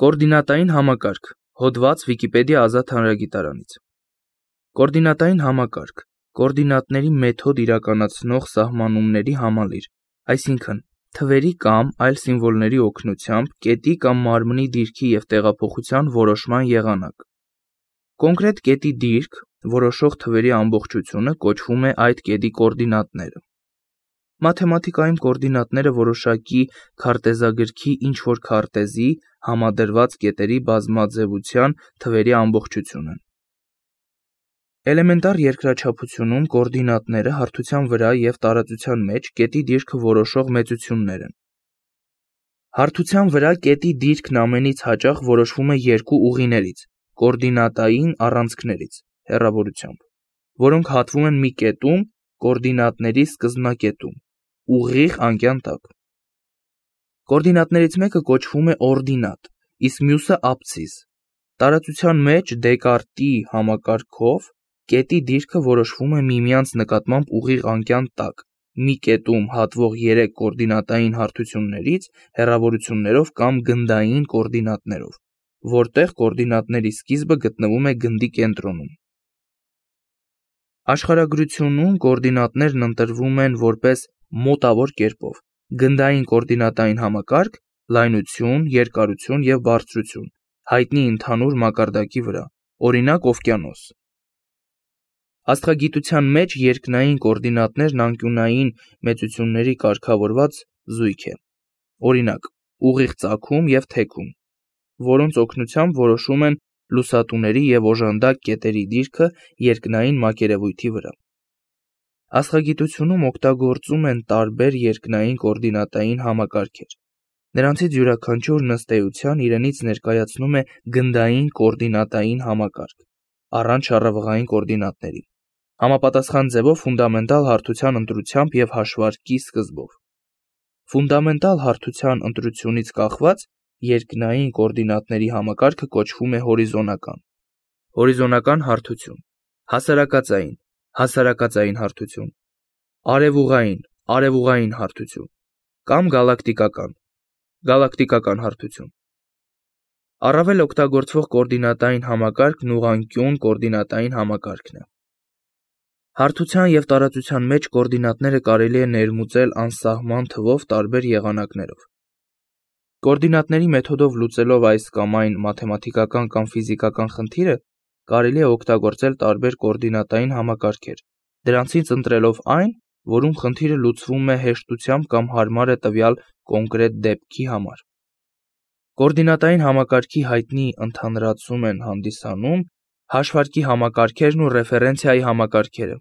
Կոորդինատային համակարգ, հոդված Վիկիպեդիա ազատ հանրագիտարանից։ Կոորդինատային համակարգ, կոորդինատների մեթոդ իրականացնող սահմանումների համալիր, այսինքն թվերի կամ այլ սիմվոլների օգնությամբ կետի կամ մարմնի դիրքի և տեղափոխության որոշման եղանակ։ Կոնկրետ կետի դիրք որոշող թվերի ամբողջությունը կոչվում է այդ կետի կոորդինատները։ Մաթեմատիկայում կոորդինատները որոշակի քարտեզագրքի ինչ-որ քարտեզի համադրված կետերի բազմաձևության թվերի ամբողջություն են։ Էլեմենտար երկրաչափությունում կոորդինատները հարթության վրա և տարածության մեջ կետի դիրքը որոշող մեծություններ են։ Հարթության վրա կետի դիրքն ամենից հաճախ որոշվում է երկու ուղիներից՝ կոորդինատային առանցքներից, հեռավորությամբ, որոնք հատվում են մի կետում, կոորդինատների սկզբնակետում, ուղիղ անկյան տակ։ Կոորդինատներից մեկը կոչվում է օրդինատ, իսկ մյուսը աբսցիս։ Տարածության մեջ Դեկարտի համակարգով կետի դիրքը որոշվում է միմյանց նկատմամբ ուղիղ անկյան տակ, մի կետում հատվող 3 կոորդինատային հարթություններից հեռավորություններով կամ գնդային կոորդինատներով, որտեղ կոորդինատների սկիզբը գտնվում է գնդի կենտրոնում։ Աշխարհագրությունում կոորդինատներն ընտրվում են որպես մոտավոր կերպով՝ գնդային կոորդինատային համակարգ, լայնություն, երկարություն և բարձրություն, հայտնի ընդհանուր մակարդակի վրա, օրինակ՝ օվկիանոս։ Աստղագիտության մեջ երկնային կոորդինատներն անկյունային մեծությունների կարգավորված զույգ է, օրինակ՝ ուղիղ ծագում և թեքում, որոնց օգնությամբ որոշում են լուսատուների և օժանդակ կետերի դիրքը երկնային մակերևույթի վրա։ Աստղագիտությունում օգտագործում են տարբեր երկնային կոորդինատային համակարգեր։ Նրանցից յուրաքանչյուրն ըստ էության իրենից ներկայացնում է գնդային կոորդինատային համակարգ, առանց շառավղային կոորդինատների, համապատասխան ձևով ֆունդամենտալ հարթության ընտրությամբ և հաշվարկի սկզբով։ Ֆունդամենտալ հարթության ընտրությունից կախված երկնային կոորդինատների համակարգը կոչվում է հորիզոնական։ Հորիզոնական հարթություն, հասարակածային, հասարակածային հարթություն, արևուղային, արևուղային հարթություն կամ գալակտիկական, գալակտիկական հարթություն։ Առավել օգտագործվող կոորդինատային համակարգն ուղղանկյուն կոորդինատային համակարգն է։ Հարթության և տարածության մեջ կոորդինատները կարելի է ներմուծել անսահման թվով տարբեր եղանակներով։ Կոորդինատների մեթոդով լուծելով այս կամ այն մաթեմատիկական կամ ֆիզիկական խնդիրը, կարելի է օգտագործել տարբեր կոորդինատային համակարգեր, դրանցից ընտրելով այն, որում խնդիրը լուծվում է հեշտությամբ կամ հարմար է տվյալ կոնկրետ դեպքի համար։ Կոորդինատային համակարգի հայտնի ընդհանրացում են հանդիսանում հաշվարկի համակարգերն ու ռեֆերենցիայի համակարգերը։